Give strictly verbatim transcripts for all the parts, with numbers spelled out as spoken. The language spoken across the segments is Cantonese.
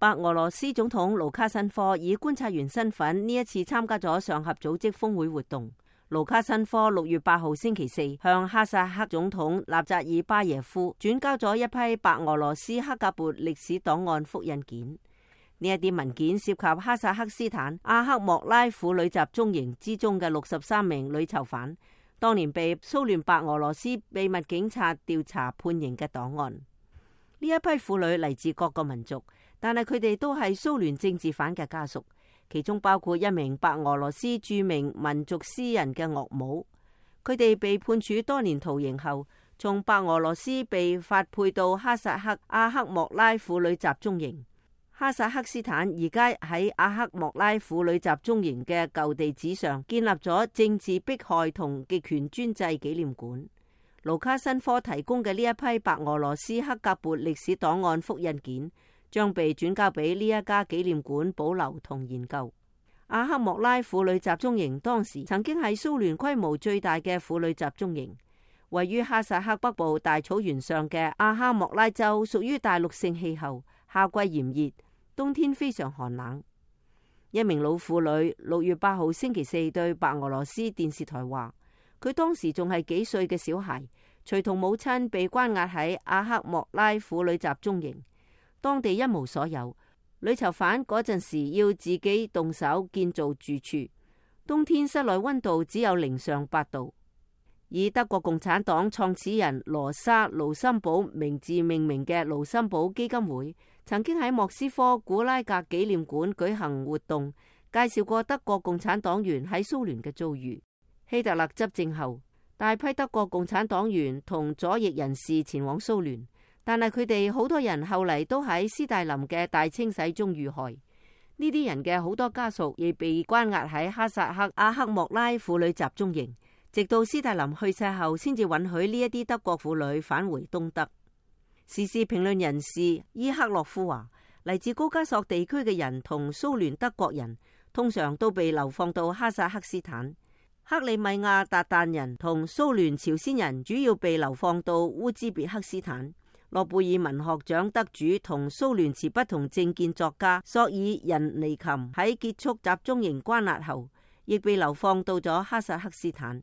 白俄羅斯總統盧卡申科以觀察員身份呢一次參加咗上合組織峰會活動。盧卡申科六月八號星期四向哈薩克總統納扎爾巴耶夫轉交咗一批白俄羅斯克格勃歷史檔案複印件。呢一啲文件涉及哈薩克斯坦阿克莫拉婦女集中營之中嘅六十三名女囚犯，當年被蘇聯白俄羅斯秘密警察調查判刑嘅檔案。呢一批婦女嚟自各個民族，但係佢哋都係蘇聯政治犯嘅家屬。其中包括一名白俄羅斯著名民族詩人嘅岳母，佢哋被判處多年徒刑後，從白俄羅斯被發配到哈薩克阿克莫拉婦女集中營。哈薩克斯坦而家喺阿克莫拉婦女集中營嘅舊地址上建立咗政治迫害同極權專制紀念館。盧卡申科提供嘅呢一批白俄羅斯克格勃歷史檔案複印件，將被轉交俾呢一家紀念館保留同研究。阿克莫拉婦女集中營當時曾經係蘇聯規模最大嘅婦女集中營，位於哈薩克北部大草原上嘅阿克莫拉州屬於大陸性氣候，夏季炎熱，冬天非常寒冷。一名老婦女六月八號星期四對白俄羅斯電視台話，佢當時仲係幾歲嘅小孩，隨同母親被關押喺阿克莫拉婦女集中營。當地一無所有，女囚犯嗰陣時要自己動手建造住處，冬天室內溫度只有零上八度。以德國共產黨創始人羅莎盧森堡名字命名嘅盧森堡基金會，曾經喺莫斯科古拉格紀念館舉行活動，介紹過德國共產黨員喺蘇聯嘅遭遇。希特勒執政後，大批德國共產黨員同左翼人士前往蘇聯。但係佢哋好多人後嚟都喺斯大林嘅大清洗中遇害。呢啲人嘅好多家屬亦被關押喺哈薩克阿克莫拉婦女集中營，直到斯大林去世後，先至允許呢一啲德國婦女返回東德。時事評論人士伊克洛夫話，嚟自高加索地區嘅人同蘇聯德國人通常都被流放到哈薩克斯坦。克里米亞韃靼人同蘇聯朝鮮人主要被流放到烏茲別克斯坦。諾貝爾文學獎得主同蘇聯持不同政見作家索爾仁尼琴喺結束集中營關押後，亦被流放到咗哈薩克斯坦。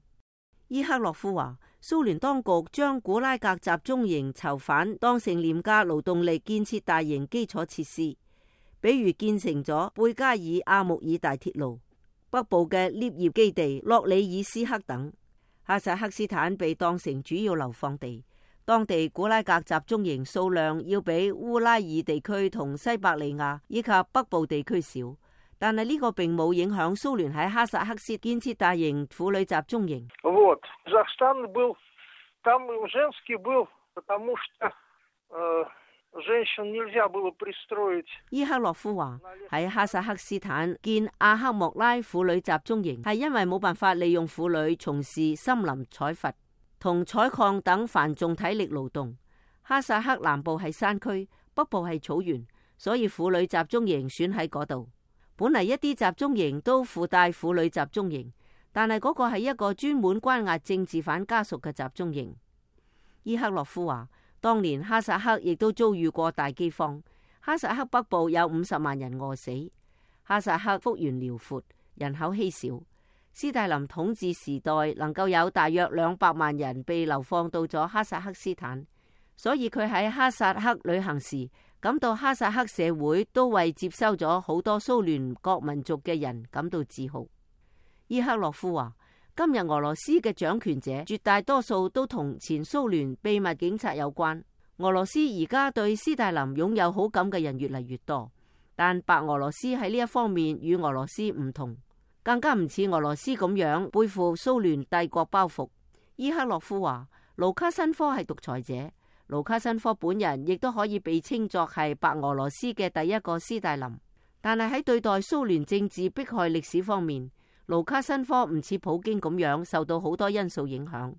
伊克洛夫話，蘇聯當局將古拉格集中營囚犯當成廉價勞動力建設大型基礎設施，比如建成咗貝加爾阿穆爾大鐵路、北部嘅獵業基地洛里爾斯克等。哈薩克斯坦被當成主要流放地。當地古拉格集中營數量要比烏拉爾地區同西伯利亞以及北部地區少，但係呢個並冇影響蘇聯喺哈薩克斯建設大型婦女集中營。伊克洛夫話，喺哈薩克斯坦建阿克莫拉婦女集中營係因為冇辦法利用婦女從事森林採伐同採礦等繁重體力勞動。哈薩克南部係山區，北部係草原，所以婦女集中營選喺嗰度。本嚟一啲集中營都附帶婦女集中營，但係嗰個係一個專門關押政治犯家屬嘅集中營。伊克洛夫話，當年哈薩克亦都遭遇過大饑荒，哈薩克北部有五十萬人餓死。哈薩克幅員遼闊，人口稀少。斯大林統治時代能夠有大約兩百萬人被流放到咗哈薩克斯坦，所以佢喺哈薩克旅行時感到哈薩克社會都為接收咗好多蘇聯各民族嘅人感到自豪。伊克洛夫話，今日俄羅斯嘅掌權者絕大多數都同前蘇聯秘密警察有關。俄羅斯而家對斯大林擁有好感嘅人越嚟越多，但白俄羅斯喺呢一方面與俄羅斯唔同。更加唔似俄羅斯咁樣背負蘇聯帝國包袱。伊克洛夫話，盧卡申科係獨裁者，盧卡申科本人亦都可以被稱作係白俄羅斯嘅第一個斯大林。但係喺對待蘇聯政治迫害歷史方面，盧卡申科唔似普京咁樣受到好多因素影響。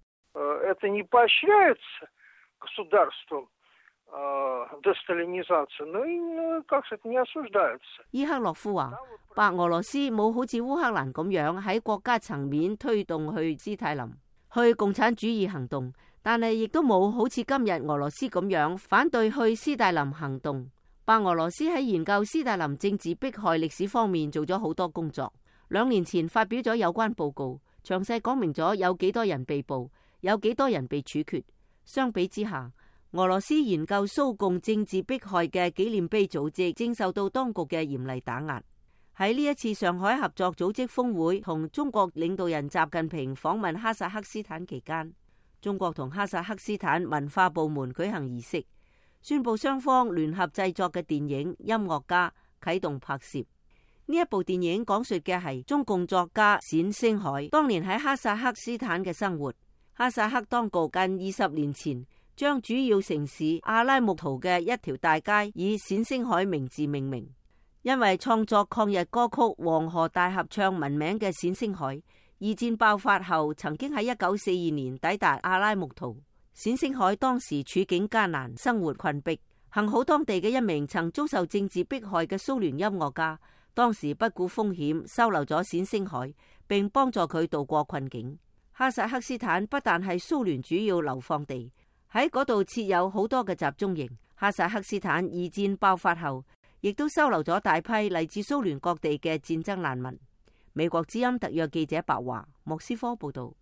伊克洛夫話，白俄羅斯冇好似烏克蘭咁樣喺國家層面推動去斯大林、去共產主義行動，但係亦都冇好似今日俄羅斯咁樣反對去斯大林行動。白俄羅斯喺研究斯大林政治迫害歷史方面做咗好多工作。兩年前發表咗有關報告，詳細講明咗有幾多人被捕，有幾多人被處決。相比之下，俄羅斯研究蘇共政治迫害嘅紀念碑組織正受到當局嘅嚴厲打壓。喺呢一次上海合作組織峰會同中國領導人習近平訪問哈薩克斯坦期間，中國同哈薩克斯坦文化部門舉行儀式，宣布雙方聯合製作嘅電影《音樂家》啟動拍攝。呢一部電影講述嘅係中共作家冼星海當年喺哈薩克斯坦嘅生活。哈薩克當局近二十年前將主要城市阿拉木圖嘅一條大街以冼星海名字命名。因為創作抗日歌曲《黃河大合唱》聞名嘅冼星海，二戰爆發後曾經喺一九四二年抵達阿拉木圖。冼星海當時處境艱難，生活困迫，幸好當地嘅一名曾遭受政治迫害嘅蘇聯音樂家，當時不顧風險收留咗冼星海，並幫助佢渡過困境。哈薩克斯坦不但係蘇聯主要流放地，喺嗰度設有好多嘅集中營。哈薩克斯坦二戰爆發後，亦都收留咗大批嚟自蘇聯各地嘅戰爭難民。美國之音特約記者白華，莫斯科報道。